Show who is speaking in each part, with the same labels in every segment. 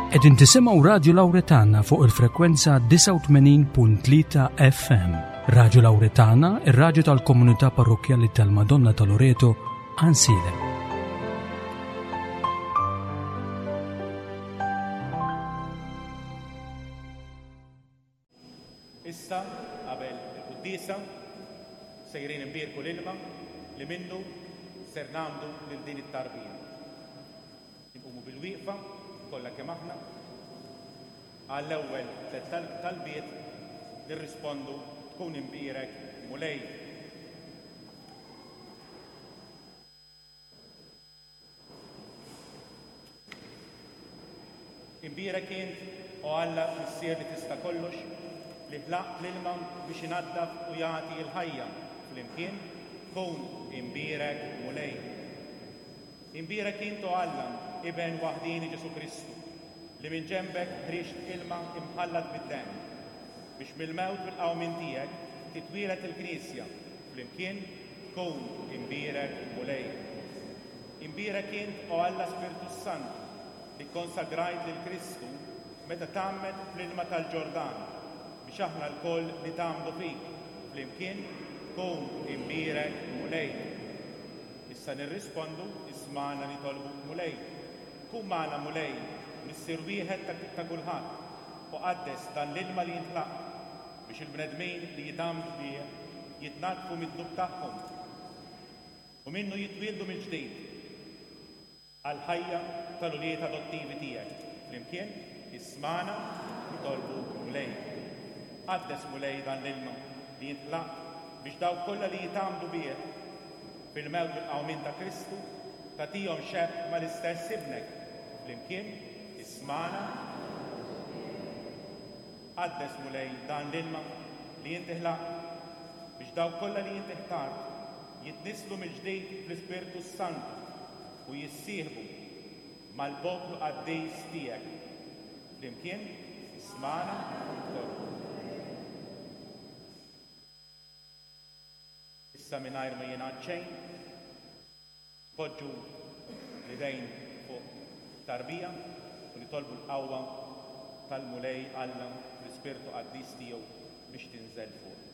Speaker 1: Qegħdin tisimgħu Radju Lawretana fuq il-frekwenza 89.3 FM. Radju Lawretana, ir-radju tal-komunità parrokkjali tal-Madonna ta' Loreto, Ansilem.
Speaker 2: Issa, qabel il-quddiesa, sejrin inbierku l-ilma li minnu ser nagħmdu lil din it-tarbija. Inqumu bilwieqfa, kollha kemm aħna, għall-ewwel tlett talbiet nirrispondu Tkun imbierek, Mulej. Imbierek int, O Alla, Missier li tista' kollox, li ħlaqt l-ilma biex inaddaf u jagħti l-ħajja, flimkien, kun imbierek, Mulej. Imbierek int, O Alla, Iben waħdieni Ġesù Kristu, li minn ġenbek ħriġt ilma imħallat bid-demm, biex mill-mewt u l-qawmien tiegħek titwieled il-Knisja, flimkien, Kun imbierek, Mulej. Imbierek int, o Alla Spirtu s-Santu, li kkonsagrajt lil Kristu meta tgħammed fl-ilma tal-Ġordan, biex aħna lkoll nitgħammdu fik, flimkien, Kun imbierek, Mulej. Issa nirrispondu, Ismagħna nitolbuk, Mulej. Kun magħna, Mulej, Missier wieħed ta' kulħadd, u qaddes dan l-ilma li int ħlaqt, biex il-bnedmin li jitgħammdu bih jitnaddfu mid-dnub tagħhom u minnu jitwieldu mill-ġdid għall-ħajja tal-ulied adottivi tiegħek. Flimkien, ismagħna nitolbuk, Mulej. Qaddes, Mulej, dan l-ilma li int ħlaqt biex dawk kollha li jitgħammdu bih fil-mewt u l-qawmien ta' Kristu tagħtihom xebh mal-istess Ibnek. Flimkien, ismagħna. Qaddes, Mulej, dan l-ilma li inti ħlaqt, biex dawk kollha li inti ħtart jitnisslu mill-ġdid fl-Ispirtu s-Santu u jissieħbu mal-poplu qaddis tiegħek. Flimkien, ismagħna nitolbu. Issa mingħajr ma jingħad xejn, Poġġu l-idejn fuq tarbija u nitolbu l-qawwa tal-Mulej Alla fl-Ispirtu Qaddis tiegħu biex tinżel fuqna.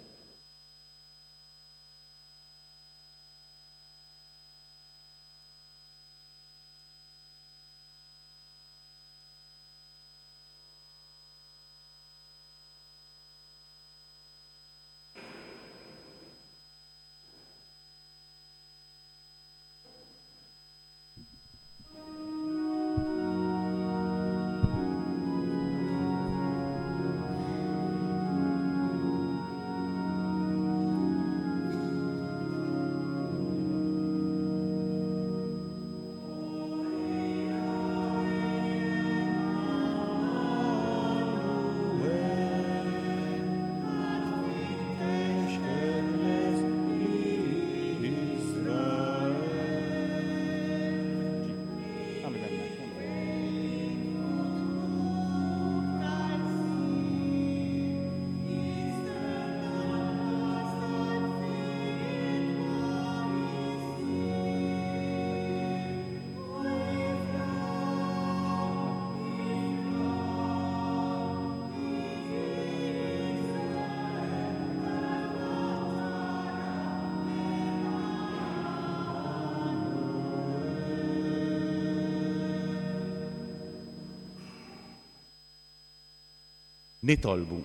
Speaker 2: Nitolbu.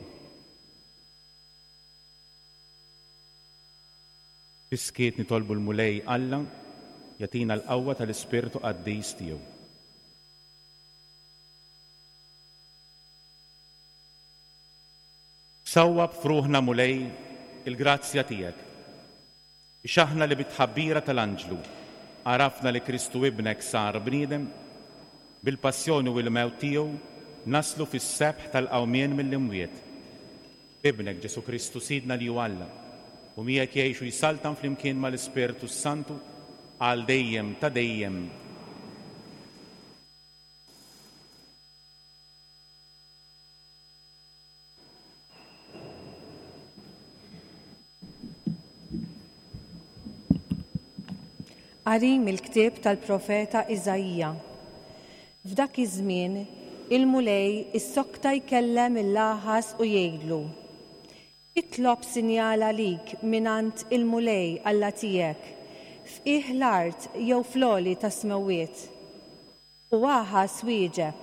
Speaker 2: Fis-skiet nitolbu l-Mulej Alla jagħtina l-qawwa tal-Ispirtu Qaddis tiegħu. Sawwab f'ruħna, Mulej, il-grazzja tiegħek, biex aħna li bit-tħabbira tal-anġlu għarafna li Kristu Ibnek sar bniedem, bil-passjoni u l-mewt tiegħu naslu fis-sebħ tal-qawmien mill-imwiet. B'Ibnek Ġesù Kristu Sidna li hu Alla, u miegħek jgħix u jsaltan flimkien mal-Ispirtu s-Santu għal dejjem ta' dejjem.
Speaker 3: Qari mill-ktieb tal-profeta Iżaija. F'dak iż-żmien Il-Mulej issokta jkellem 'il Aħaż u jgħidlu, Itlob sinjal għalik mingħand il-Mulej Alla tiegħek, f'qiegħ l-art jew fl-għoli tas-smewwiet. U Aħaż wieġeb,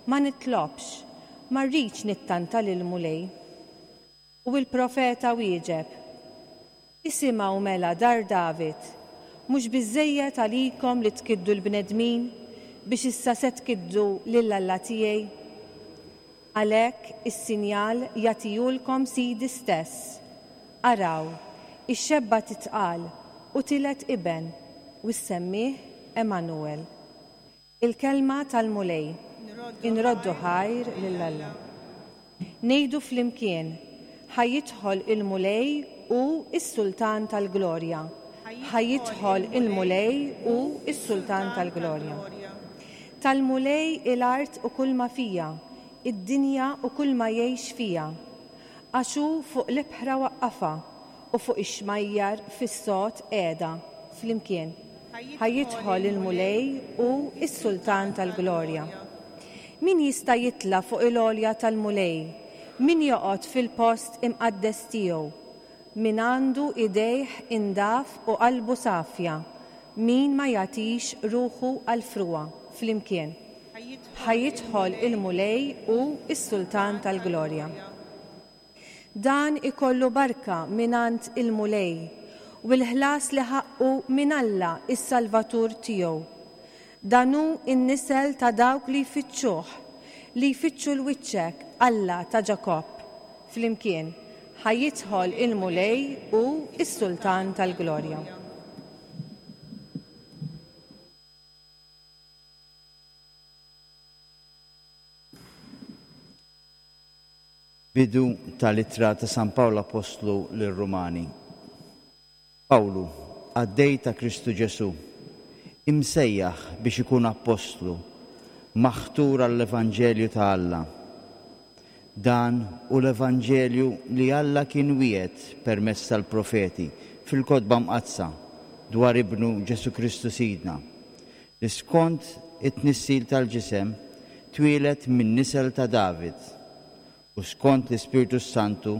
Speaker 3: Ma nitlobx, ma rridx nittanta lill-Mulej. U l-profeta wieġeb, Isimgħu mela, dar David, mhux biżżejjed għalikom li tkiddu l-bnedmin biex issa se tkiddu lil Alla tiegħi? Għalhekk is-sinjal jagħtihulkom Sidi stess, Araw, ix-xebba titqal u tiled iben, u ssemmih Emmanuel. Il-Kelma tal-Mulej. Inroddu ħajr lil Alla. Ngħidu flimkien, Ħa jidħol il-Mulej hu s-Sultan tal-glorja. Ħa jidħol il-Mulej hu s-Sultan tal-glorja. Tal-Mulej hi l-art u kulma fiha, id-dinja u kulma jgħix fiha. Għax hu fuq l-ibħra waqqafha, u fuq ix-xmajjar fis-sod qiegħda. Flimkien. Ħa jidħol il-Mulej hu s-Sultan tal-glorja. Min jista' jitla' fuq il-għolja tal-Mulej? Min joqgħod fil-post imqaddes tiegħu? Min għandu idejh indaf u qalbu safja, min ma jagħtix ruħu għall-frugħa. Flimkien. Ħa jidħol il-Mulej hu s-Sultan tal-glorja. Dan ikollu barka mingħand il-Mulej, u l-ħlas li ħaqqu minn Alla s-Salvatur tiegħu. Dan hu n-nisel ta' dawk li jfittxuh, li jfittxu 'l wiċċek, Alla ta' Ġakobb. Flimkien, ħa jidħol il-Mulej hu s-Sultan tal-glorja.
Speaker 4: Bidu tal-Ittra ta' San Pawl Appostlu lir-Rumani. Pawlu, qaddej ta' Kristu Ġesù, imsejjaħ biex ikun appostlu, maħtur għall-evanġelju ta' Alla. Dan hu l-evanġelju li Alla kien wiegħed permezz tal-profeti fil-Kotba Mqaddsa dwar Ibnu Ġesù Kristu Sidna, li skont it-tnissil tal-ġisem twieled min-nisel ta' David, u skont l-Ispirtu s-Santu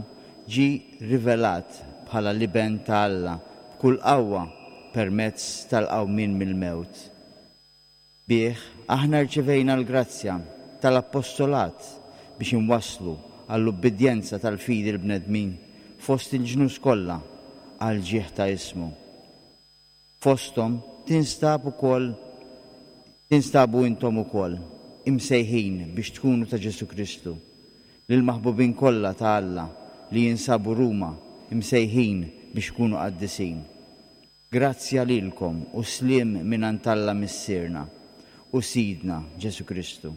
Speaker 4: ġie rivelat bħala l-Iben ta' Alla b'kull qawwa permezz tal-qawmien mill-mewt. Bih aħna rċevejna l-grazzja tal-appostolat biex inwasslu għall-ubbidjenza tal-fidi l-bnedmin fost il-ġnus kollha għall-ġieħ ta' ismu. Fosthom tinstab ukoll tinstabu intom ukoll, imsejħin biex tkunu ta' Ġesù Kristu, lill-maħbubin kollha ta' Alla li jinsabu Ruma, imsejħin biex ikunu qaddisin. Grazzja lilkom u sliem mingħand Alla Missierna u Sidna Ġesù Kristu.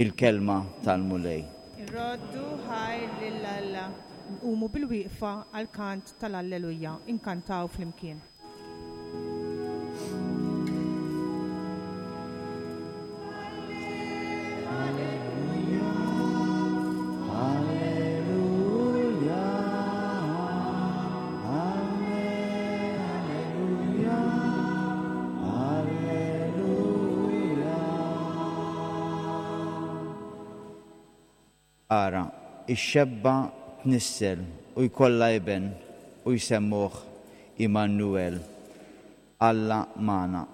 Speaker 4: Il-Kelma tal-Mulej.
Speaker 5: Irroddu ħajr lil Alla. Nqumu bilwieqfa għall-kant tal-Alleluja. Inkantaw flimkien.
Speaker 4: Ara, ix-xebba tnissel u jkollha iben u jsemmuh Immanuel, Alla magħna.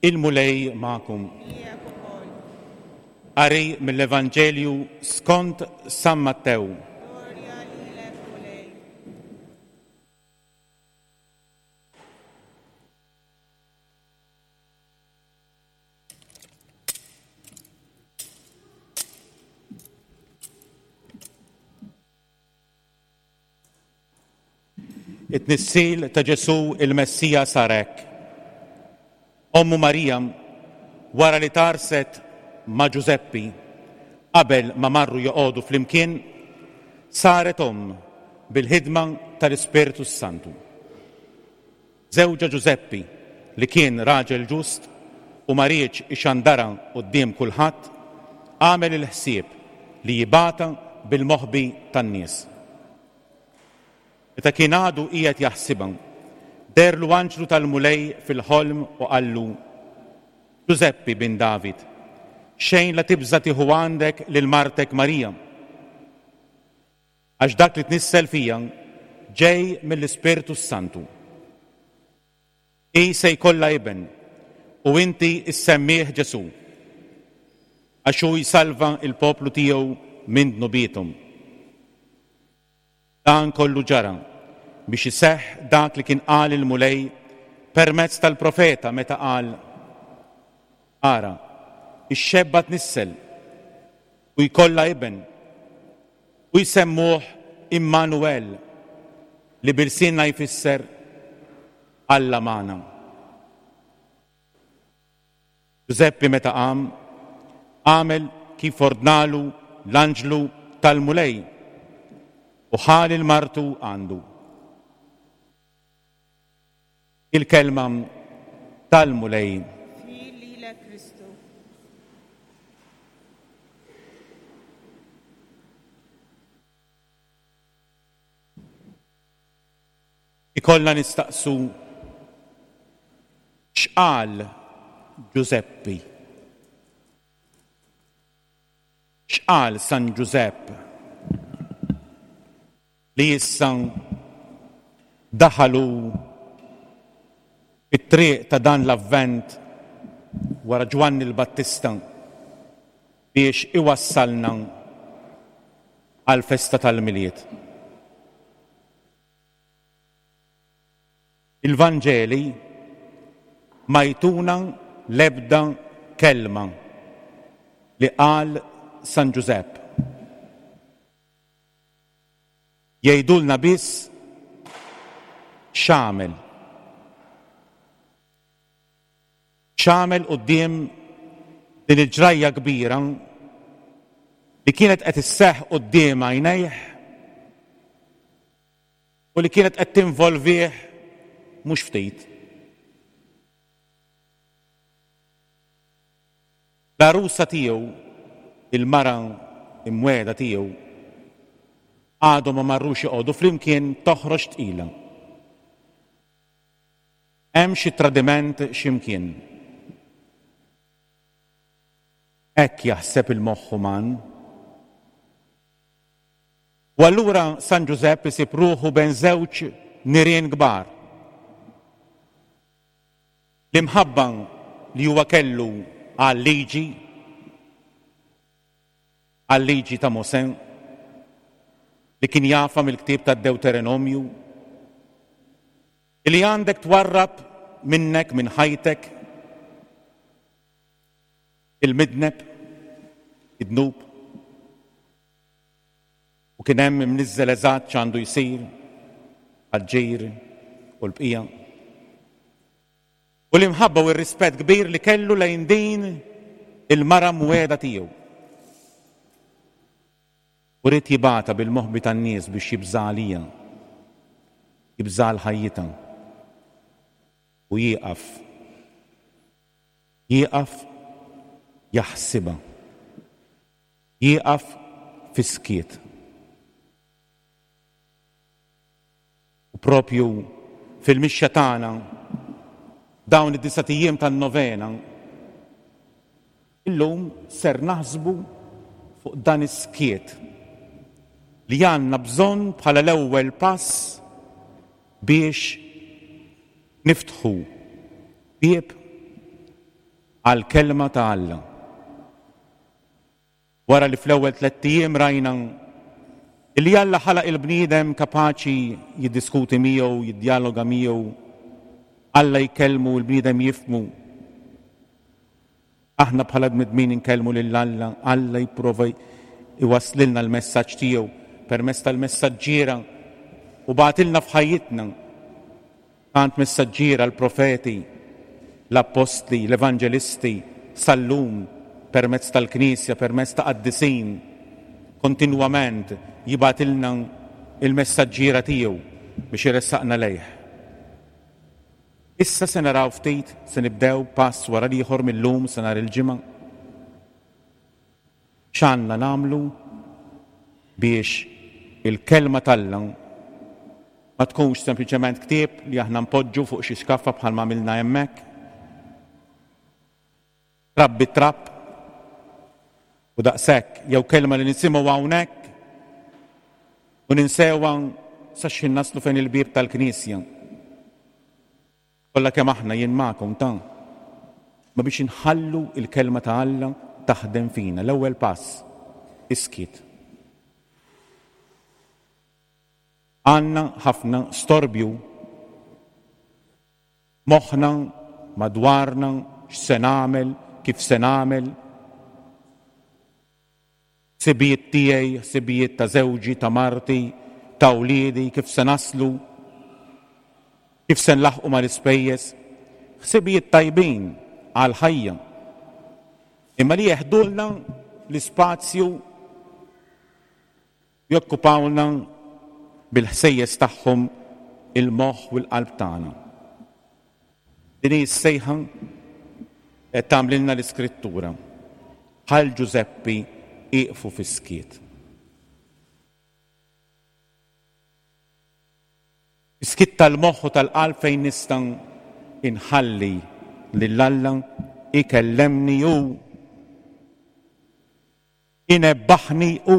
Speaker 2: Il-Mulej magħkom. Qari mill-Evanġelju skont San Mattew. It-tnissil ta' Ġesù il-Messija sar hekk. Ommu Marija, wara li tgħarrset ma' Ġużeppi, qabel ma marru joqogħdu flimkien, saret omm bil-ħidma tal-Ispirtu s-Santu. Żewġha Ġużeppi, li kien raġel ġust u ma riedx ixandarha quddiem kulħadd, għamel il-ħsieb li jibgħatha bil-moħbi tan-nies. Meta kien għadu qiegħed jaħsibha, deherlu anġlu tal-Mulej fil-ħolm u qallu, Ġużeppi, bin David, xejn la tibża' tieħu għandek lil martek Marija, għax dak li tnissel fija ġej mill-Ispirtu s-Santu. Hi se jkollha iben, u inti ssemmih Ġesù, għax hu jsalva l-poplu tiegħu minn dnubiethom. Dan kollu ġara biex iseħħ dak li kien qal il-Mulej permezz tal-profeta meta qal, Ara, ix-xebba tnissel u jkollha iben, u jsemmuh Immanuel, li bi lsienna jfisser Alla magħna. Ġużeppi meta qam, għamel kif ordnalu l-anġlu tal-Mulej u ħa lil martu għandu. Il-kelma tal-Mulej.
Speaker 5: Fil lilek Kristu.
Speaker 2: Ikollna nistaqsu x'qal Ġużeppi? X'qal San Ġużepp li issa daħal hu fit-triq ta' dan l-Avvent wara Ġwanni l-Battista biex iwassalna għall-festa tal-Milied? Il-Vanġeli ma jtuna l-ebda kelma li qal San Ġużepp. Jgħidulna biss x'għamel. X'għamel quddiem din il-ġrajja kbira li kienet qed isseħħ quddiem għajnejh u li kienet qed tinvolvih mhux ftit. L-għarusa tiegħu, il-mara imwiegħda tiegħu, għadhom ma marrux joqogħdu flimkien toħroġ tqila. Hemm xi tradiment xi mkien. Hekk jaħseb il-moħħ uman. U allura San Ġużepp isib ruħu bejn żewġ nirien kbar. L-imħabba li huwa kellu għal-liġi, għal-liġi ta' Mosè, li kien jafha mill-ktieb tad-Dewterenomju, li għandek twarrab minnek minn ħajtek il-midneb, id-dnub. U kien hemm imniżżel eżatt x'għandu jsir għall-ġir u l-bqija. U l-imħabba u r-rispett kbir li kellu lejn din il-mara mwiegħda tiegħu. U ried jibgħatha bil-moħbi tan-nies biex jibża' għalija, jibża' għal ħajjitha. U jieqaf, jieqaf jaħsibha. Jieqaf fis-skiet. U propju fil-mixja tagħna dawn id-disat ijiem tan-novena, illum ser naħsbu fuq dan is-skiet li għandna bżonn bħala l-ewwel pass biex niftħu bieb għall-Kelma ta' Alla. Wara li fl-ewwel tlett ijiem rajna li Alla ħalaq il-bniedem kapaċi jiddiskuti miegħu, jiddjaloga miegħu, Alla jkellmu, il-bniedem jifhmu. Aħna bħala bnedmin inkellmu lil Alla, Alla jipprova jwasslilna l-messaġġ tiegħu permezz tal-messaġġiera u bagħtilna f'ħajjitna Tant messaġġiera l-profeti, l-appostli, l-evanġelisti, sal-lum. permezz tal-Knisja, permezz ta' qaddisin, kontinwament jibgħatilna il-messaġġiera tiegħu biex iressaqna lejh. Issa se naraw ftit, se nibdew pass wara l-ieħor mil-lum sa nhar il-Ġimgħa. X'għandna nagħmlu biex il-Kelma t'Alla ma tkunx sempliċement ktieb li aħna npoġġu fuq xi xkaffa bħalma għamilna hemmhekk, trabbi trab u daqshekk, jew kelma li nisimgħu hawnhekk u ninsewha sa x'ħin naslu fejn il-bieb tal-knisja. Kollha kemm aħna jien magħkom ta' ma biex inħallu il-kelma ta' Alla taħdem fina. L-ewwel pass, iskiet. Għandna ħafna storbju. Moħħna, madwarna, x'se nagħmel, kif se nagħmel. Ħsibijiet tiegħi, ħsibijiet ta' żewġi, ta' marti, ta' wliedi, kif se naslu, kif se nlaħħqu mal-ispejjeż. Ħsibijiet tajbin għall-ħajja. Imma li jeħdulna l-ispazju jokkupawlna bil-ħsejjes tagħhom il-moħħ u l-qalb tagħna. Din hi s-sejħa qed tagħmlilna l-Iskrittura. Bħal Ġużeppi ieqfu fis-skiet. Is-skiet tal-moħħ u tal-qalb fejn nista' inħalli lil Alla ikellemni hu Inebbaħni hu.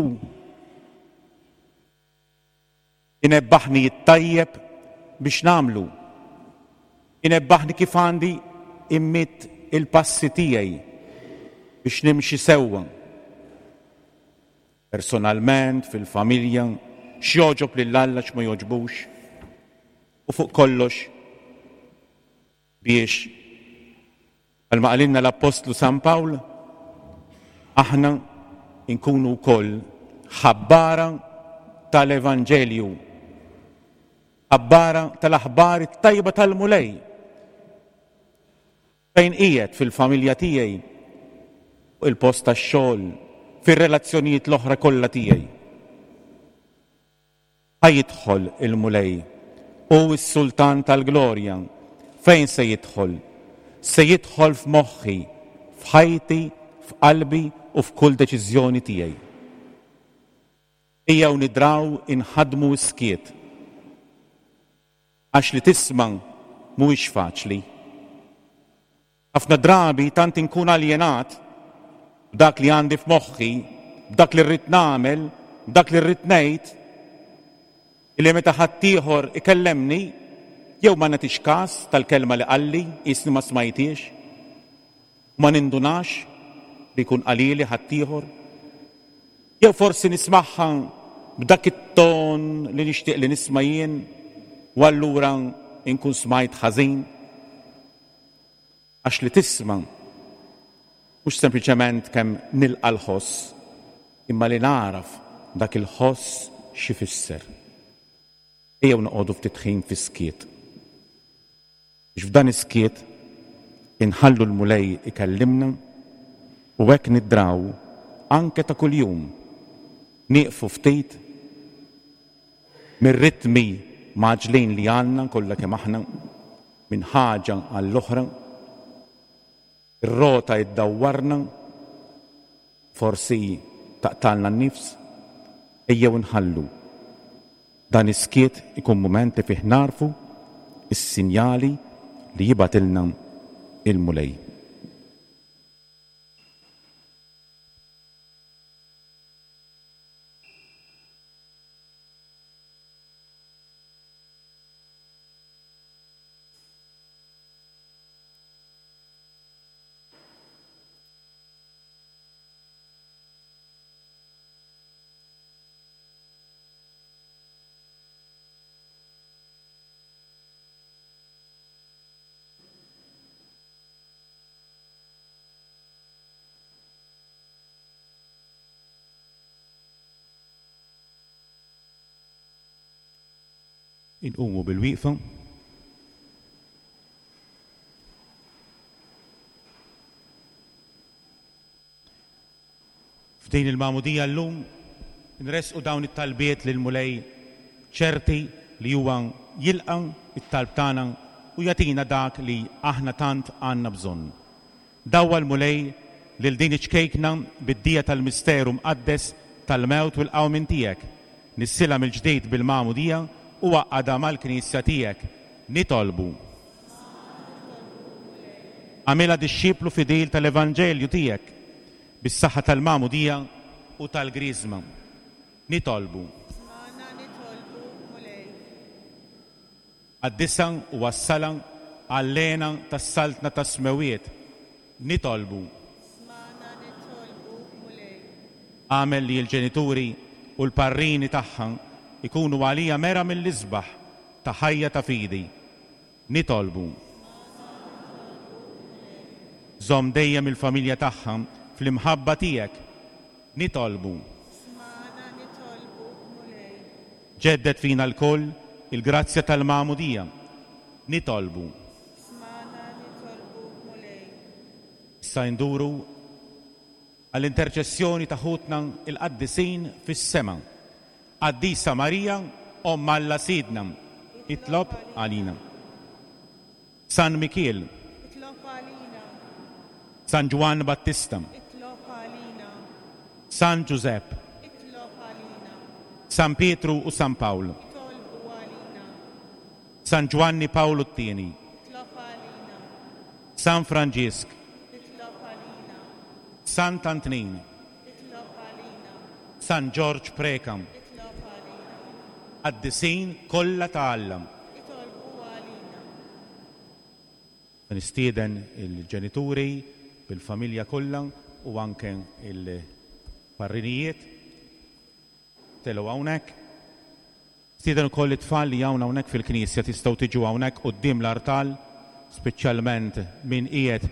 Speaker 2: Inebbaħni t-tajjeb biex nagħmlu. Inebbaħni kif għandi immidd il-passi tiegħi biex nimxi sewwa. Personalment, fil-familja, x'jogħġob lil Alla x'ma jogħġbux. U fuq kollox biex Bħalma qalilna l-Appostlu San Pawl, aħna nkunu wkoll ħabbara tal-Evanġelju, ħabbara tal-aħbar it-tajba tal-Mulej. Fejn qiegħed fil-familja tiegħi, fuq il-post tax-xogħol, fir-relazzjonijiet l-oħra kollha tiegħi. Ħa jidħol il-Mulej, hu s-Sultan tal-glorja. Fejn se jidħol? Se jidħol f'moħħi, f'ħajti, f'qalbi u f'kull deċiżjoni tiegħi. Ejjew nidraw inħaddmu s-skiet. Għax li tisma' mhuwiex faċli. Ħafna drabi tant inkun aljenat b'dak li għandi f'moħħi, b'dak li rrid nagħmel, b'dak li rrid ngħid, illi meta ħaddieħor ikellemni jew ma nagħtix każ tal-kelma li qalli, qisni ma smajthiex, u ma nindunax li jkun qalili ħaddieħor, jew forsi nismagħha b'dak it-ton li nixtieq li nisma' jien u allura nkun smajt ħażin. Għax li tisma' mhux sempliċement kemm nilqa' l-ħoss, imma li nagħraf dak il-ħoss x'ifisser. Ejjew noqogħdu ftit ħin fis-skiet. Biex f'dan is-skiet inħallu l-Mulej ikellimna u hekk nidraw anke ta' kuljum nieqfu ftit mir-ritmi mgħaġġlin li għandna kollha kemm aħna minn ħaġa għall-oħra, ir-rota iddawwarna, forsi taqtgħalna n-nifs, ejjew inħallu dan is-skiet ikun mument li fih nagħrfu s-sinjali li jibgħatilna l-Mulej. Inqumu bil-wieqfa. F'din il-magħmudija llum inressqu dawn it-talbiet lill-Mulej ċerti li huwa jilqa' t-talb tagħna u jagħtina dak li aħna tant għandna bżonn. Dawwal Mulej lil din iċ-ċkejkna bid-dija tal-misteru mqaddes tal-mewt u l-qawmien tiegħek. Nissilha mill-ġdid bil-magħmudija u għaqqadha mal-Knisja tiegħek. Nitolbu. Agħmilha dixxiplu fidil tal-Evanġelju tiegħek bis-saħħa tal-magħmudija u tal-Griżma. Nitolbu.
Speaker 5: Smagħna nitolbu, Mulej.
Speaker 2: Qaddisha u wassalha għall-hena tas-Saltna tas-Smewwiet. Nitolbu.
Speaker 5: Smagħna nitolbu, Mulej.
Speaker 2: Agħmel li l-ġenituri u l-parrini tagħha jkunu għaliha mera mill-isbaħ ta' ħajja ta' fidi. Nitolbu. Żomm dejjem il-familja tagħha fl-imħabba tiegħek. Nitolbu.
Speaker 5: Smagħna nitolbu, Mulej.
Speaker 2: Ġedded fina lkoll il-grazzja tal-magħmudija. Nitolbu.
Speaker 5: Smagħna nitolbu, Mulej.
Speaker 2: Issa induru għall-interċessjoni ta' ħutna l-qaddisin fis-sema. Qaddisa Marija, Omm Alla Sidna, itlob għalina. San Mikiel.
Speaker 5: Itlob għalina.
Speaker 2: San Ġwann Battista.
Speaker 5: Itlob għalina.
Speaker 2: San Ġużepp.
Speaker 5: Itlob għalina.
Speaker 2: San Pietru u San Pawl.
Speaker 5: Itolbu għalina.
Speaker 2: San Ġwanni Pawlu t-Tieni.
Speaker 5: Itlob għalina.
Speaker 2: San Franġisk.
Speaker 5: Itlob għalina.
Speaker 2: Sant Antnin.
Speaker 5: Itlob għalina.
Speaker 2: San Ġorġ Preca.
Speaker 5: Itlob għalina.
Speaker 2: Qaddisin kollha ta' Alla.
Speaker 5: Itolbu għalina.
Speaker 2: Nistieden il-ġenituri bil-familja kollha u anke il-parrinijiet telgħu hawnhekk. Nistieden ukoll it-tfal li hawn hawnhekk fil-knisja tistgħu tiġu hawnhekk quddiem l-artal, speċjalment min qiegħed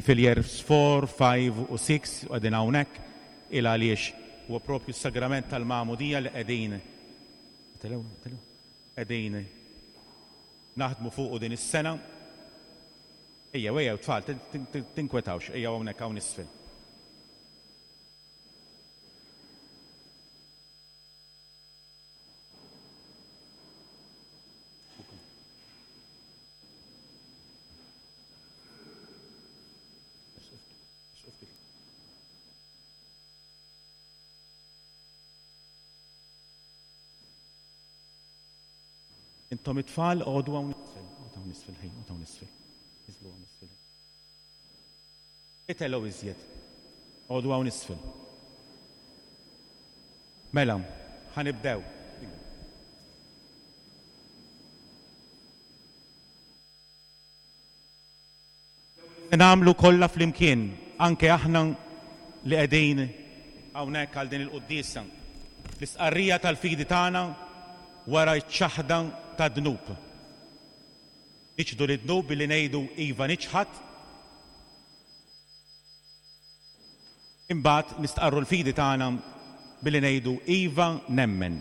Speaker 2: fil-years 4, 5 u 6 u qegħdin hawnhekk, il għaliex huwa propju s-sagrament tal-magħmudija li qegħdin qegħdin naħdmu fuqu din is-sena. Ejjew, ejjew tfal, tinkwetawx, ejjew hawnhekk hawn isfel. Intom it-tfal għodu hawn isfel, għodu hawn isfel, ħej, għodu hawn isfel. Iżlu hawn isfel. Itelgħu iżjed. Għodu hawn isfel. Mela, ħa nibdew. Se nagħmlu kollha flimkien, anke aħna li qegħdin hawnhekk għal din il-quddiesa, l-istqarrija tal-fidi tagħna wara ċ-ċaħda tad-dnub. Niċħdu lid-dnub billi ngħidu iva niċħad. Imbagħad nistqarru l-fidi tagħna billi ngħidu iva nemmen.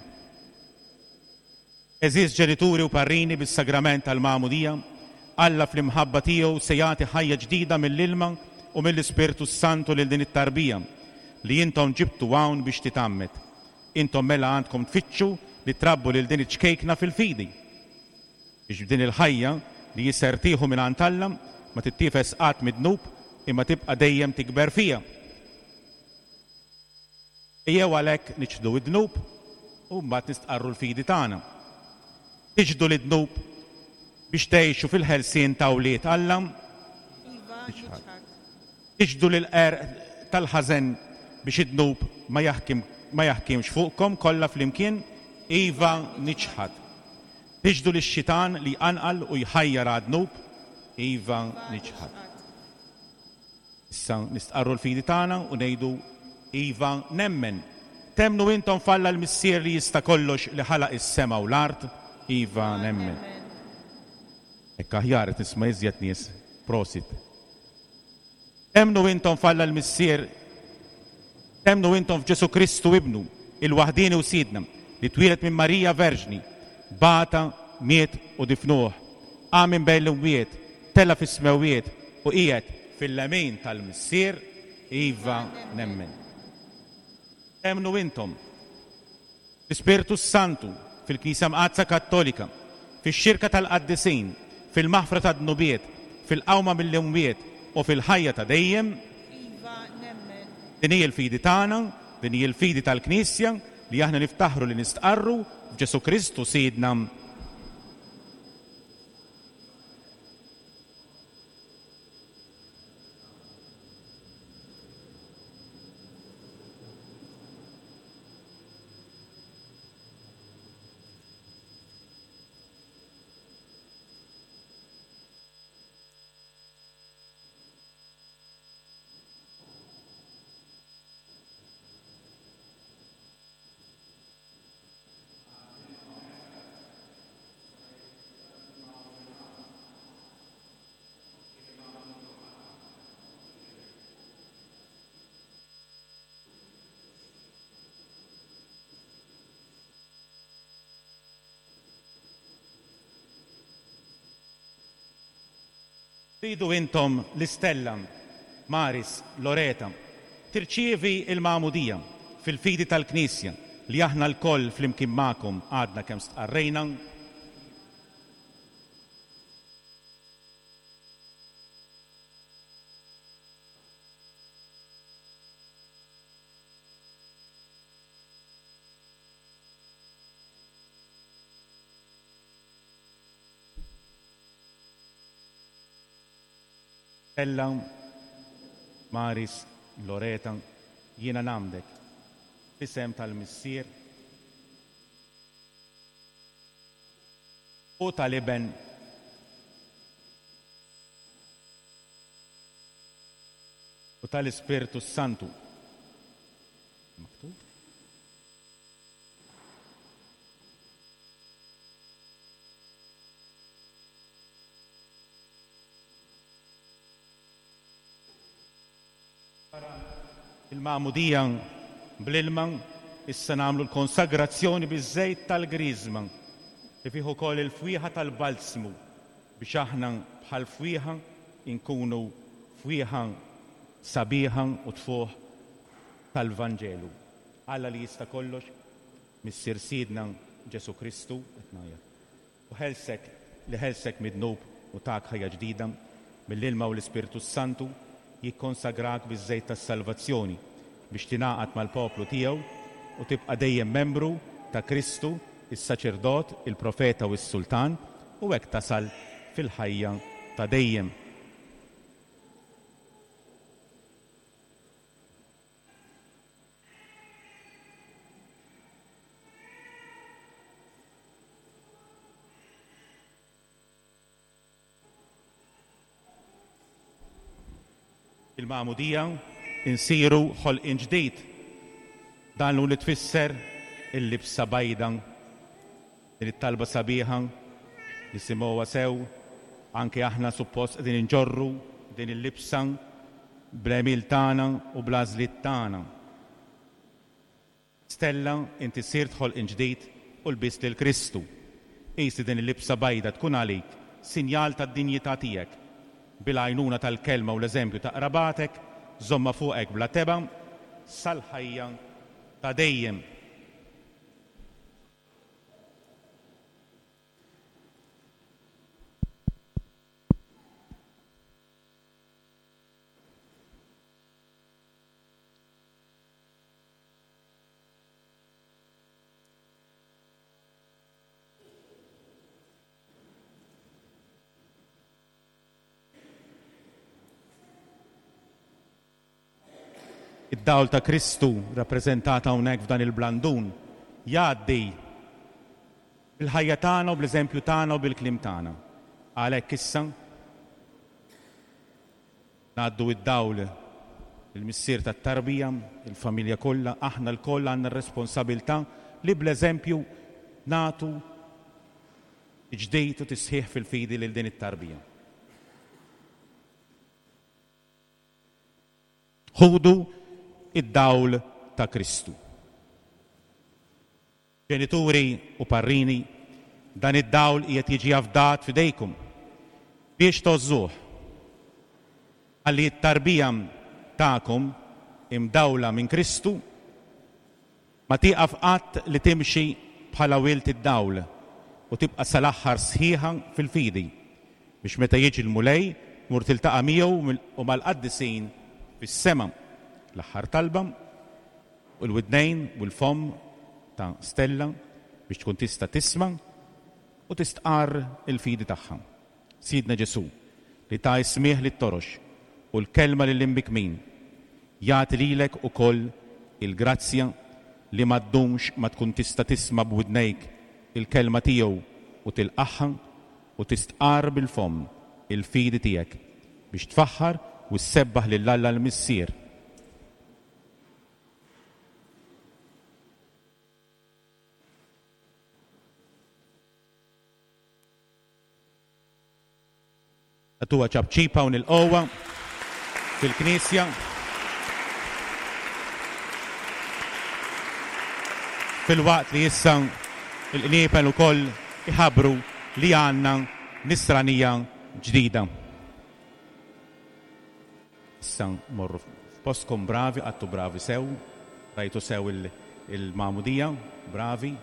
Speaker 2: Għeżież ġenituri u parrini bis-sagrament tal-magħmudija, Alla fl-imħabba tiegħu se jagħti ħajja ġdida mill-ilma u mill-Ispirtu s-Santu lil din it-tarbija li intom ġibtu hawn biex titgħammed. Intom mela għandkom tfittxu li trabbu lil din iċ-ċkejkna fil-fidi. Biex b'din il-ħajja li hi ser tieħu mingħand Alla ma tittiefes qatt mid-dnub imma tibqa' dejjem tikber fiha. Ejjew għalhekk niċħdu d-dnub u mbagħad nistqarru l-fidi tagħna. Tiċħdu lid-dnub biex tgħixu fil-ħelsien ta' wlied Alla?
Speaker 5: Iva, niċħad.
Speaker 2: Tiċħdu lill-qerq tal-ħażen biex id-dnub ma jaħkim ma jaħkimx fuqkom kollha flimkien? Iva, niċħad. Tiċħdu lix-xitan li jqanqal u jħajjar għad-dnub? Iva, niċħad. Issa nistqarru l-fidi tagħna u ngħidu, Iva, nemmen. Temmnu intom f'Alla l-Missier li jista' kollox li ħalaq is-sema u l-art? Iva, nemmen. Hekk aħjar qed nisma' iżjed nies. Prosit. Temmnu intom f'Alla l-Missier, temmnu intom f'Ġesù Kristu Ibnu, il-waħdieni u Sidna, li twieled minn Marija Verġni, bata, miet u difnuh, qam minn bejn l-imwiet, tela' fis-smewwiet u qiegħed fil-lemin tal-Missier? Iva, nemmen. Temmnu intom fl-Ispirtu s-Santu, fil-Knisja Mqaddsa Kattolika, fix-xirka tal-qaddisin, fil-maħfra tad-dnubiet, fil-qawma mill-imwiet u fil-ħajja ta' dejjem?
Speaker 5: Iva, nemmen.
Speaker 2: Din hi l-fidi tagħna, din hi l-fidi tal-Knisja li aħna niftaħru li nistqarru f'Ġesù Kristu Sidna. Tridu intom l-Istella, Maris, Loreta, tirċievi l-Magħmudija fil-fidi tal-Knisja li aħna lkoll flimkien magħkom għadna kemm stqarrejna? Ella, Maris, Loreta, jiena ngħammdek, f'isem tal-Missier u tal-Iben u tal-Ispirtu s-Santu. Maktub? Wara l-magħmudija bl-ilma, issa nagħmlu l-konsagrazzjoni biż-żejt tal-griżma, li fih ukoll il-fwieħa tal-balzmu, biex aħna bħall-fwieħa nkunu fwieħa sabiħa u tfuħ tal-Vanġelu. Alla li jista' kollox, Missier Sidna Ġesù Kristu, qed ngħajjat. U ħelsek, li ħelsek mid-dnub u tak ħajja ġdida, mill-ilma u l-Ispirtu s-Santu, jikkonsagrak biż-żejt tas-salvazzjoni, biex tingħaqad mal-poplu tiegħu u tibqa' dejjem membru ta' Kristu, is-Saċerdot, il-Profeta u s-Sultan, u hekk tasal fil-ħajja ta' dejjem. Il-magħmudija insiru ħolqien ġdid. Dan hu li tfisser il-libsa bajda. Din it-talba sabiħa nisimgħuha sew, anke aħna suppost qegħdin inġorru din il-libsa bl-għemil tagħna u bl-għażliet tagħna. Stella, inti sirt ħolqien ġdid u lbist lil Kristu. Qis li din il-libsa bajda tkun għalik sinjal tad-dinjità tiegħek. Bil-għajnuna tal-kelma u l-eżempju ta' qrabatek, żommha fuqek bla tebgħa sal-ħajja ta' dejjem. Id-dawl ta' Kristu rappreżentat hawnhekk f'dan il-blandun jgħaddi bil-ħajja tagħna u bl-eżempju tagħna u bil-kliem tagħna. Għalhekk issa Ngħaddu d-dawl lill-missier tat-tarbija, il-familja kollha, aħna lkoll għandna r-responsabilità li bl-eżempju nagħtu tiġdid u tisħiħ fil-fidi lil din it-tarbija. Ħudu d-dawl ta' Kristu. Ġenituri u parrini, dan id-dawl qiegħed jiġi afdat f'idejkom biex tgħożżuh, ħalli t-tarbija tagħkom, imdawla minn Kristu, Ma tieqaf qatt li timxi bħala wild id-dawl u tibqa' sal-aħħar sħiħa fil-fidi, biex meta jiġi l-Mulej tmur tiltaqa' miegħu u mal-qaddisin fis-sema. L-aħħar talba, u l-widnejn u l-fomm ta' Stella biex tkun tista' tisma' u tistqarr il-fidi tagħha. Sidna Ġesù, li ta s-smigħ lit-torox u l-kelma lill-imbikkmin, jagħti lilek ukoll il-grazzja li ma ddumx ma tkun tista' tisma' b'widnejk il-kelma tiegħu u tilqagħha u tistqarr bil-fomm il-fidi tiegħek biex tfaħħar u ssebbaħ lil Alla l-Missier. Agħtuha ċapċipa u nilqgħuha fil-Knisja. Filwaqt li issa l-qniepen ukoll iħabbru li għandna nisranija ġdida. Issa morru f'postkom bravi, qgħadtu bravi sew, rajtu sew il-magħmudija, bravi.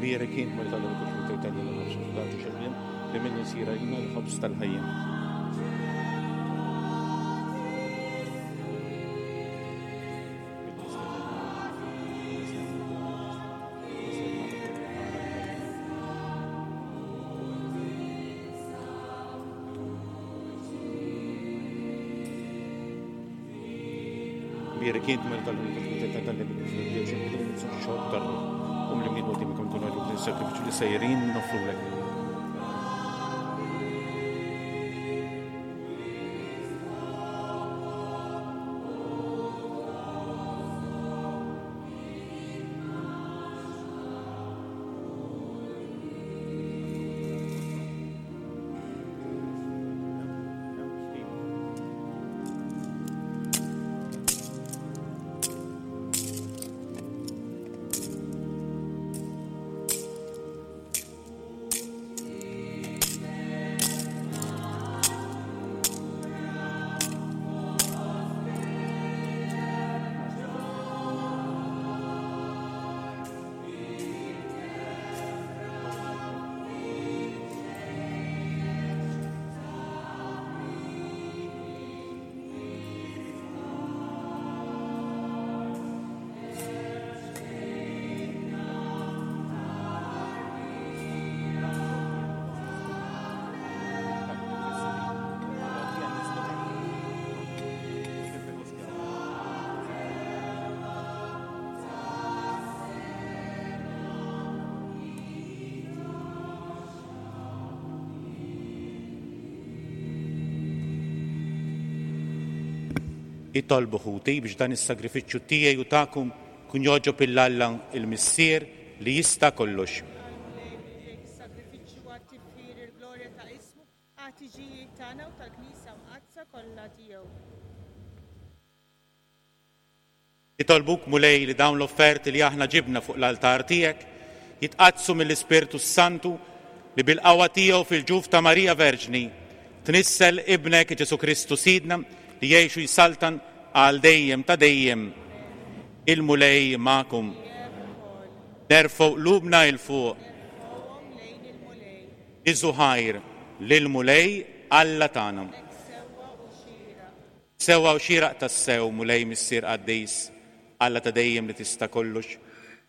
Speaker 2: Mbierek int Mulej tal-Uniku li tgħid lil ħobż u tagħti xejn li minnu jsir għalina l-ħobż tal-ħajja. Bierek int Mulej tal-Uniku li tgħid xorb tar-ruħ. U mlimni quddiemek u nkunu għaduk din sacrifiċċju li sejrin noffrulek. Itolbu ħuti biex dan is-sagrifiċċju tiegħi u tagħkom kun jogħġob 'il Alla l-Missier li jista' kollox.
Speaker 5: Għall-Mulej b'idejk is-sagrifiċċju għat-tifħir il-glorja ta' ismu, għat-tiġijiet tagħna u tal-Knisja Mqaddsa kollha tiegħu.
Speaker 2: Nitolbuk, Mulej, li dawn l-offerti li aħna ġibna fuq l-altar tiegħek jitqaddsu mill-Ispirtu s-Santu li bil-qawwa tiegħu fil-ġuf ta' Marija Verġni tnissel Ibnek Ġesù Kristu Sidna li jgħix u jsaltan għal dejjem ta' dejjem. Il-Mulej magħkom. Nerfgħu qlubna 'il fuq. Niżżu ħajr lill-Mulej Alla tagħna. Sewwa u xieraq tassew, Mulej Missier qaddis, Alla ta' dejjem li tista' kollox,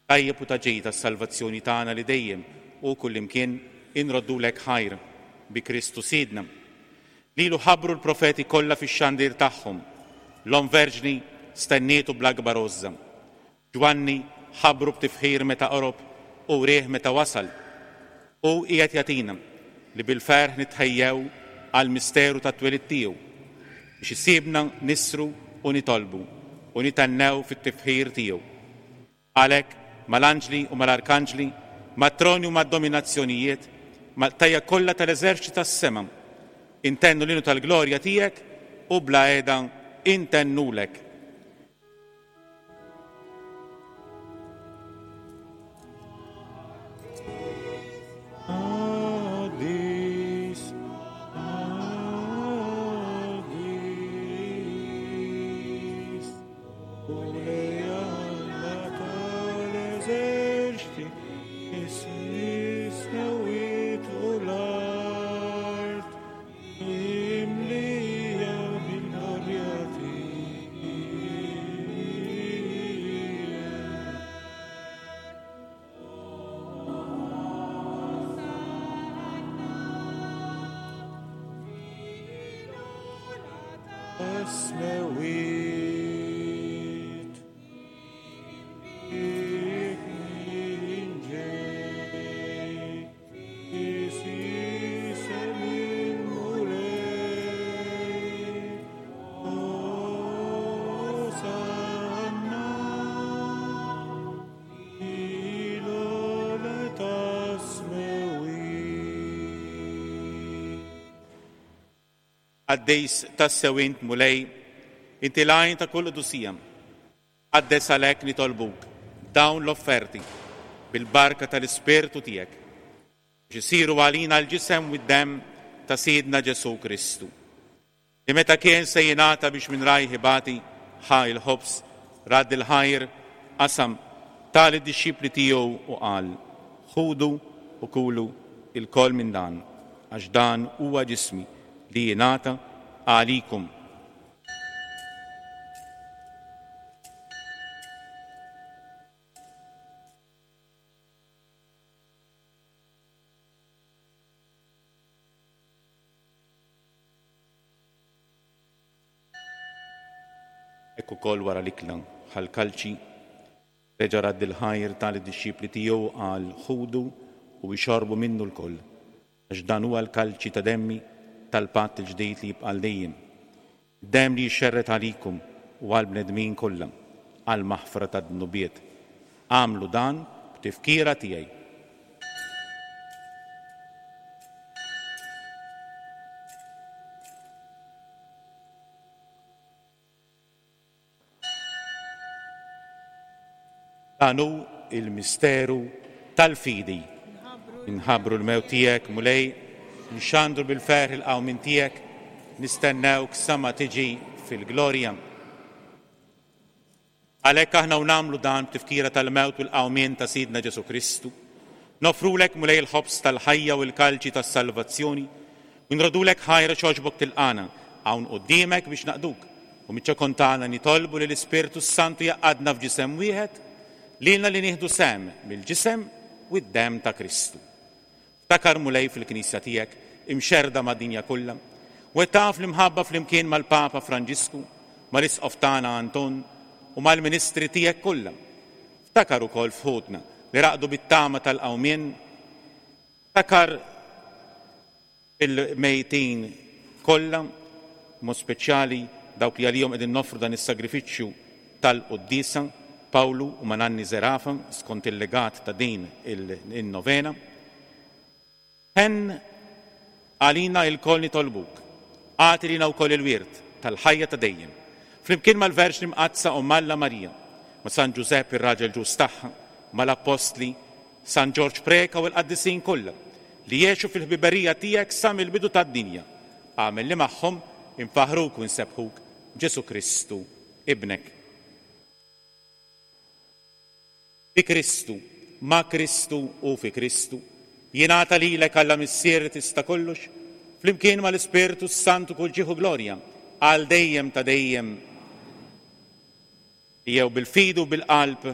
Speaker 2: tajjeb u ta' ġid għas-salvazzjoni tagħna li dejjem u kullimkien inroddulek ħajr bi Kristu Sidna. Lilu ħabbru l-profeti kollha fix-xandir tagħhom. L-Omm Verġni stennietu bl-akbar għożża. Ġwanni ħabbru b'tifħir meta qorob u wrieh meta wasal. Hu qiegħed jagħtina li bil-ferħ nitħejjew għall-misteru tat-twelid tiegħu, biex isibna nissru u nitolbu u nithennew fit-tifħir tiegħu. Għalhekk, mal-anġli u mal-arkanġli, mat-troni u mad-dominazzjonijiet, mal-qtajja kollha tal-eżerċti tas-sema, intennu l-innu tal-glorja tiegħek u bla heda intennulek. Qaddis tassew int, Mulej, inti l-għajn ta' kull qdusija. Qaddes għalhekk nitolbuk dawn l-offerti bil-barka tal-Ispirtu tiegħek biex isiru għalina l-ġisem u d-demm ta' Sidna Ġesù Kristu, li meta kien se jingħata biex minn rajh ibati, ħa l-ħobż, radd il-ħajr, qasam, ta lid-dixxipli tiegħu u qal, Ħudu u kulu ilkoll minn dan, għax dan huwa ġismi li jingħata għalikom. Hekk ukoll wara l-ikla, ħa l-kalċi, reġa' radd il-ħajr ta lid-dixxipli tiegħu u qal, Ħudu u ixorbu minnu lkoll, għax dan huwa l-kalċi ta' demmi tal-patt il-ġdid li jibqa' għal dejjem. Demm li jixxerred għalikom u għall-bnedmin kollha għall-maħfra tad-dnubiet. Agħmlu dan b'tifkira tiegħi. Dan hu l-misteru tal-fidi. Inħabbru l-mewt tiegħek, Mulej, nxandru bil-ferħ il-qawmien tiegħek, nistennewk sa ma tiġi fil-glorja. Għalhekk aħna u nagħmlu dan b'tifkira tal-mewt u l-qawmien ta' Sidna Ġesù Kristu, noffrulek Mulej il-ħobż tal-ħajja u l-kalċi tas-salvazzjoni, u nrodulek ħajr għax għoġbok tilqagħna hawn quddiemek biex naqduk, u miċ-ċokon tagħna nitolbu li l-Ispirtu s-Santu jgħaqqadna f'ġisem wieħed, lilna li nieħdu sehem mill-ġisem u d-demm ta' Kristu. Ftakar, Mulej, fil-Knisja tiegħek imxerrda mad-dinja kollha, u wettaqha fl-imħabba flimkien mal-Papa Franġisku, mal-Isqof tagħna Anton, u mal-ministri tiegħek kollha. Ftakar ukoll f'ħutna li raqdu bit-tama tal-qawmien. Ftakar fil-mejtin kollha, b'mod speċjali. dawk li għalihom qegħdin noffru dan is-sagrifiċċju tal-quddiesa, Pawlu u Mananni Zerafa, skont il-legat ta' din in-novena. Ħenn għalina ilkoll nitolbuk, agħti lilna wkoll il-wirt tal-ħajja ta' dejjem, flimkien mal-Verġni Mqaddsa Omm Alla Marija, ma' San Ġużepp ir-raġel ġust tagħha, mal-Appostli, San Ġorġ Preca u l-qaddisin kollha, li għexu fil-ħbiberija tiegħek sa mill-bidu tad-dinja, agħmel li magħhom infaħħruk u nsebbħuk b'Ġesù Kristu, Ibnek. Bi Kristu, ma' Kristu u fi Kristu, jingħata lilek Alla Missier li tista' kollox, flimkien mal-Ispirtu s-Santu kull ġieħ u glorja, għal dejjem ta' dejjem. Ejjew bil-fidi u bil-qalb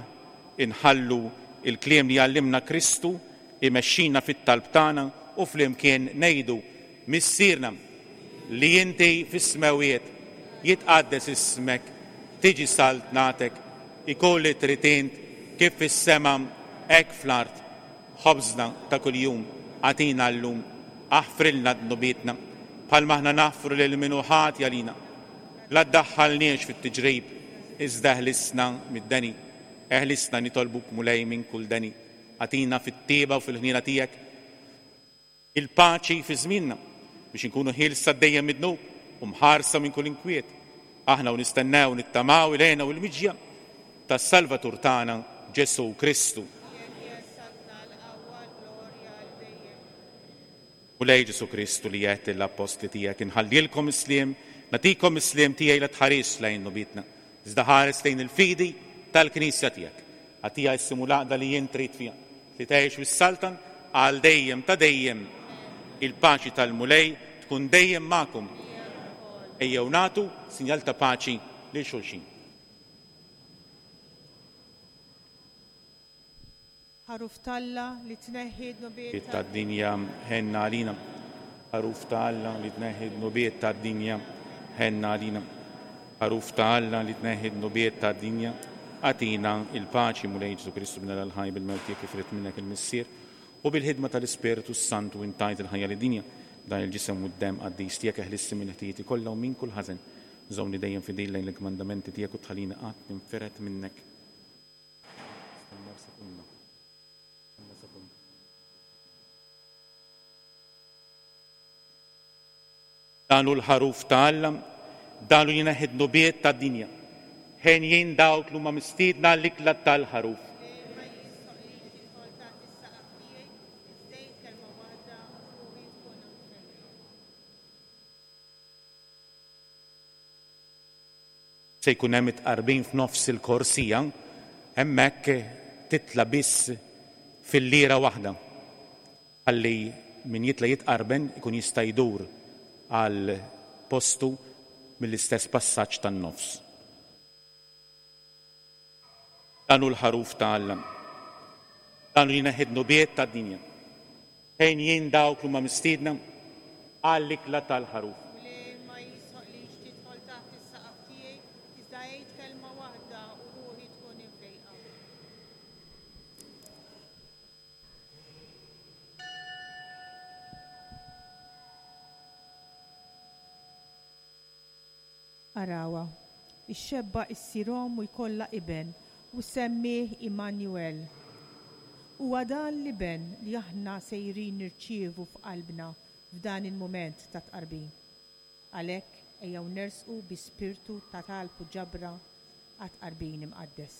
Speaker 2: inħallu l-kliem li għallimna Kristu jmexxina fit-talb tagħna u flimkien ngħidu, Missierna, li inti fis-smewwiet, jitqaddes ismek, tiġi saltnatek, ikun li trid int kif fis-sema hekk fl-art. Ħobżna ta' kuljum agħtina llum, aħfrilna dnubietna, bħalma aħna naħfru lil min hu ħati għalina. La ddaħħalniex fit-tiġrib, iżda eħlisna mid-deni. Eħlisna, nitolbuk, Mulej, minn kull deni. Agħtina fit-tjieba u fil-ħniena tiegħek il-paċi fi żmienna, biex inkunu ħielsa dejjem mid-dnub u mħarsa minn kull inkwiet, aħna u nistennew u nittamaw il-hena u l-miġja tas-Salvatur tagħna, Ġesù Kristu. Mulej Ġesù Kristu li għedt lill-appostli tiegħek, Inħallilkom is-sliem, nagħtikom is-sliem tiegħi la tħarisx lejn dnubietna, iżda ħares lejn il-fidi tal-Knisja tiegħek. Agħtiha s-sliem u l-għaqda li int trid fiha, li tgħix u ssaltan għal dejjem ta' dejjem. Il-paċi tal-Mulej tkun dejjem magħkom. Ejjew nagħtu sinjal ta' paċi lil xulxin.
Speaker 5: Ħaruf t'Alla li tneħħi d-dnubiet
Speaker 2: tad-dinja, ħenn għalina. Ħaruf ta' Alla li tneħħi d-dnubiet tad-dinja, ħenn għalina. Ħaruf ta' Alla li tneħħi d-dnubiet tad-dinja, agħtina l-paċi, Mulej Ġesù Kristu Bin Alla l-ħaj bil-mewt tiegħek kif ried minnek il-Missier, u bil-ħidma tal-Ispirtu s-Santu int tajt il-ħajja lid-dinja. B'dan il-ġisem u d-demm qaddis tiegħek eħlisni minn ħtijieti kollha u minn kull ħażen. Żommni dejjem fidil lejn il-kmandamenti tiegħek u tħallini qatt ninfired minnek. Stennew sekonda. Stenna sekonda. Dan hu l-ħaruf ta' Alla, dan hu jneħħi d-dnubiet tad-dinja. Henjin dawk li huma mistiedna għall-ikla tal-ħaruf. Se jkun hemm it-tqarbin f'nofs il-korsija, hemmhekk titla' biss filliera waħda ħalli min jitla' jitqarben ikun jista' jdur għal postu mill-istess passaġġ tan-nofs. Dan hu l-Ħaruf ta' Alla. Dan hu li jneħħi d-dnubiet tad-dinja. Henjin dawk li huma mistiedna għall-ikla tal-Ħaruf.
Speaker 5: Mulej, ma jistħoqqlix tidħol taħt is-saqaf tiegħi, iżda għid kelma waħda u ruħi tkun imfejqa. Arawha, ix-xebba issir omm u jkollha iben, u ssemmieh Immanuel. Huwa dan l-iben li aħna sejrin nirċievu f'qalbna f'dan il-mument ta' tqarbin. Għalhekk ejjew nersqu bi spirtu ta' talb u ġabra għat-tqarbin imqaddes.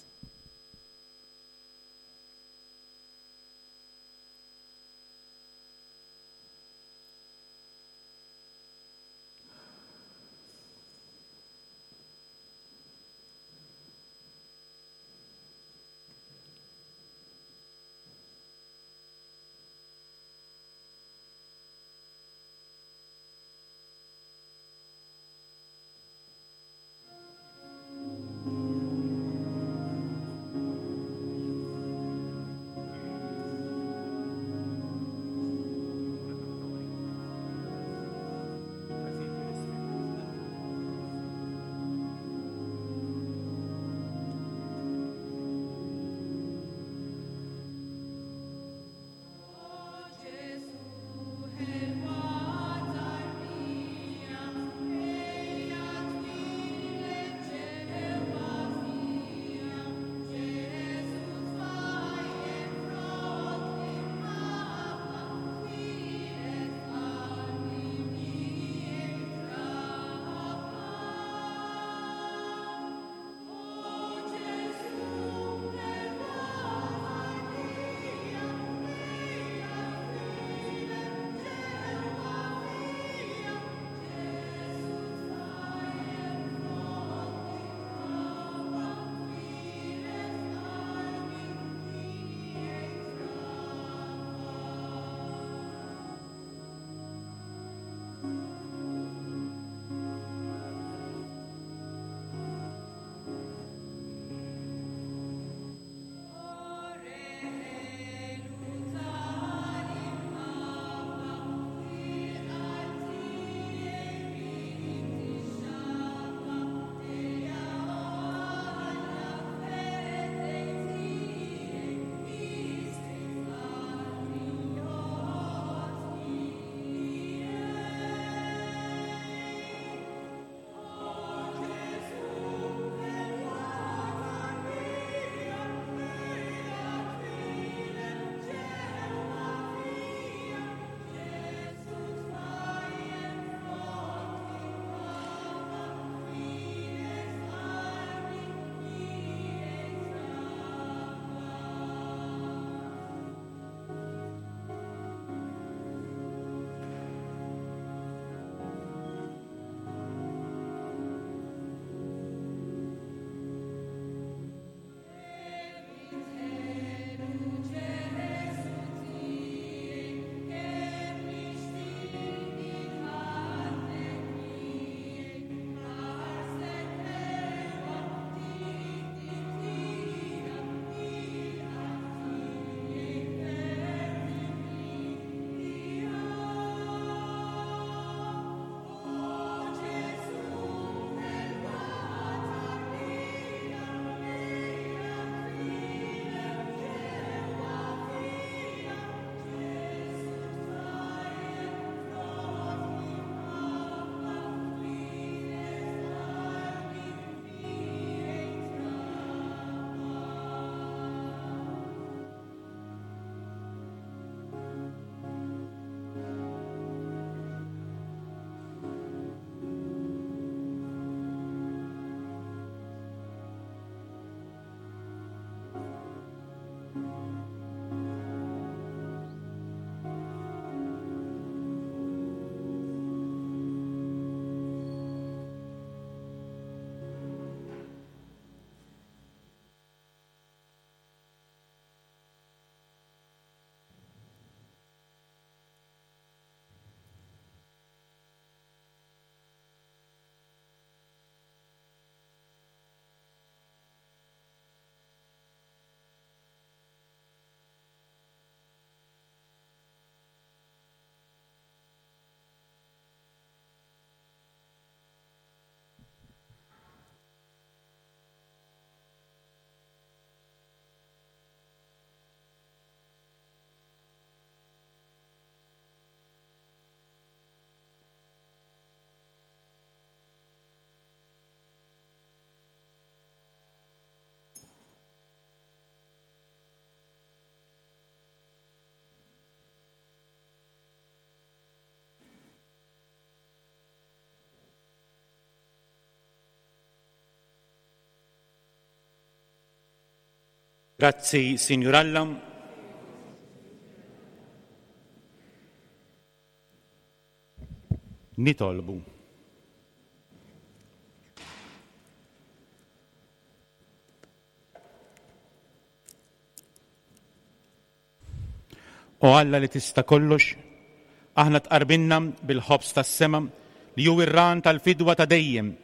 Speaker 2: Grazzi, Sinjur Alla. Nitolbu. O Alla li tista' kollox, aħna tqarbinna bil-ħobż tas-sema li hu r-ran tal-fidwa ta' dejjem.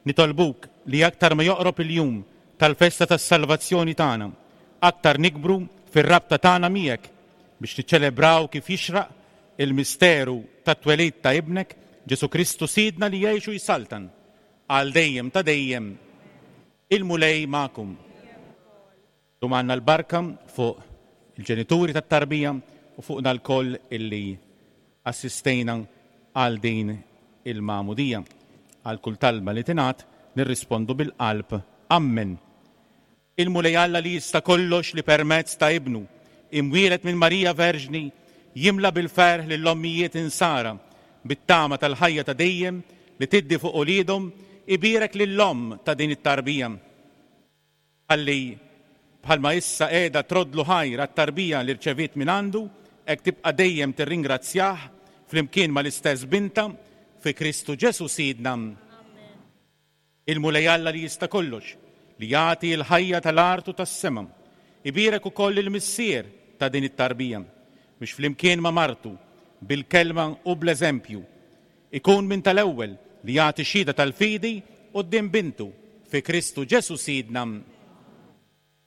Speaker 2: Nitolbuk li aktar ma joqrob il-jum tal-festa tas-salvazzjoni tagħna, aktar nikbru fir-rabta tagħna miegħek biex niċċelebraw kif jixraq il-misteru tat-twelid ta' Ibnek, Ġesù Kristu Sidna li jgħix u jsaltan għal dejjem ta' dejjem. Il-Mulej magħkom. Illum għandna l-barka fuq il-ġenituri tat-tarbija u fuqna lkoll illi assistejna għal din il-magħmudija. Għal kull talba li tingħad nirrispondu bil-qalb Ammen. Il-Mulej Alla li jista' kollox li permezz ta' Ibnu, imwieled minn Marija Verġni, jimla bil-ferħ lill-ommijiet insara bit-tama tal-ħajja ta' dejjem li tiddi fuq uliedhom, ibierek lill-omm ta' din it-tarbija. Ħalli, bħalma issa qiegħda troddlu ħajr għat-tarbija li rċeviet mingħandu, hekk tibqa' dejjem tirringrazzjah flimkien mal-istess bintha, fi Kristu Ġesù Sidna. Il-Mulej Alla li jista' kollox, li jagħti l-ħajja tal-art u tas-sema, ibierek ukoll lill-missier ta' din it-tarbija, biex flimkien ma' martu, bil-kelma u bl-eżempju, Ikun minn tal-ewwel li jagħti xhieda tal-fidi quddiem Bintu, fi Kristu Ġesù Sidna.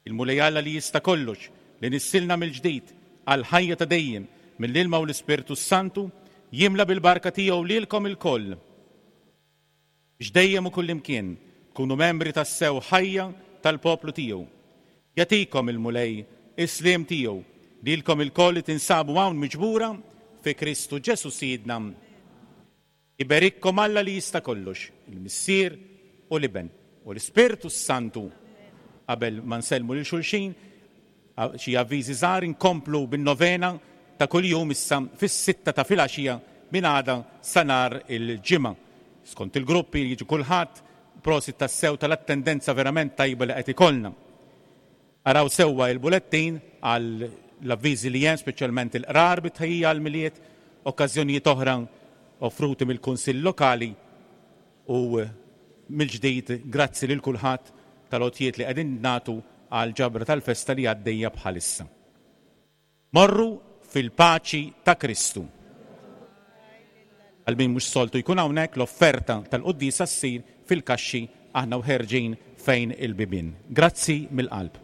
Speaker 2: Il-Mulej Alla li jista' kollox, li nissilna mill-ġdid għall-ħajja ta' dejjem mill-ilma u l-Ispirtu s-Santu, jimla bil-barka tiegħu lilkom ilkoll, biex dejjem u kullimkien tkunu membri tassew ħajja tal-poplu tiegħu. Jagħtikom il-Mulej is-sliem tiegħu, lilkom ilkoll li tinsabu hawn miġbura fi Kristu Ġesù Sidna. Iberikkom Alla li jista' kollox, il-Missier u l-Iben u l-Ispirtu s-Santu. Qabel ma nsellmu lil xulxin, xi avviżi żgħar, inkomplu bin-novena ta' kuljum issa fis-sitta ta' filgħaxija minn għada sa nhar il-Ġimgħa. Skont il-gruppi li jiġu kulħadd, prosit tassew tal-attendenza verament tajba li qed ikollna. Araw sewwa il-bulettin għal l-avviżi li hemm, speċjalment il-qrar bi tħejjija għall-Milied, okkażjonijiet oħra offruti mill-Kunsill Lokali u mill-ġdid grazzi lil kulħadd tal-għotjiet li qegħdin nagħtu għall-ġabra tal-festa li għaddejja bħalissa. Morru fil-paċi ta' Kristu. Għal min mhux soltu jkun hawnhekk, l-offerta tal-quddiesa ssir fil-kaxxi aħna u ħerġin fejn il-bibien. Grazzi mill-qalb.